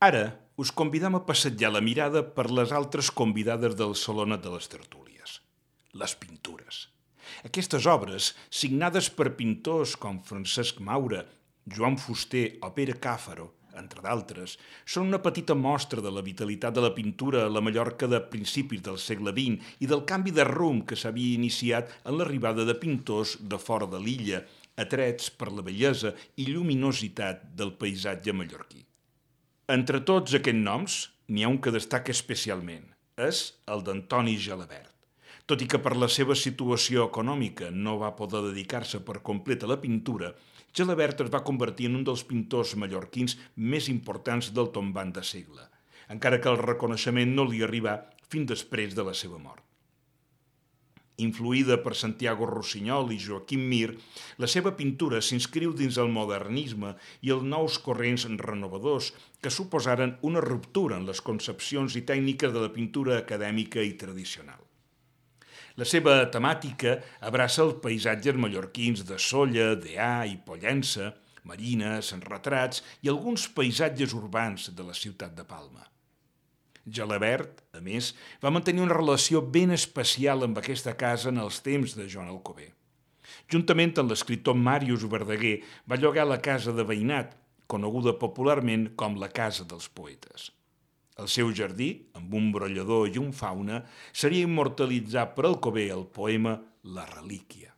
Ara us convidam a passejar la mirada per les altres convidades del Salonet de les Tertúlies, les pintures. Aquestes obres, signades per pintors com Francesc Maura, Joan Fuster o Pere Càfaro, entre d'altres, són una petita mostra de la vitalitat de la pintura a la Mallorca de principis del segle XX i del canvi de rumb que s'havia iniciat en l'arribada de pintors de fora de l'illa, atrets per la bellesa i lluminositat del paisatge mallorquí. Entre tots aquests noms, n'hi ha un que destaca especialment. És el d'Antoni Gelabert. Tot i que per la seva situació econòmica no va poder dedicar-se per complet a la pintura, Gelabert es va convertir en un dels pintors mallorquins més importants del tombant de segle, encara que el reconeixement no li arribà fins després de la seva mort. Influïda per Santiago Rossinyol i Joaquim Mir, la seva pintura s'inscriu dins el modernisme i els nous corrents renovadors que suposaren una ruptura en les concepcions i tècniques de la pintura acadèmica i tradicional. La seva temàtica abraça els paisatges mallorquins de Sóller, Deà i Pollença, marines, retrats i alguns paisatges urbans de la ciutat de Palma. Gelabert, a més, va mantenir una relació ben especial amb aquesta casa en els temps de Joan Alcover. Juntament amb l'escriptor Màrius Verdaguer va llogar la casa de veïnat, coneguda popularment com la Casa dels Poetes. El seu jardí, amb un brollador i un fauna, seria immortalitzat per Alcover al poema La Relíquia.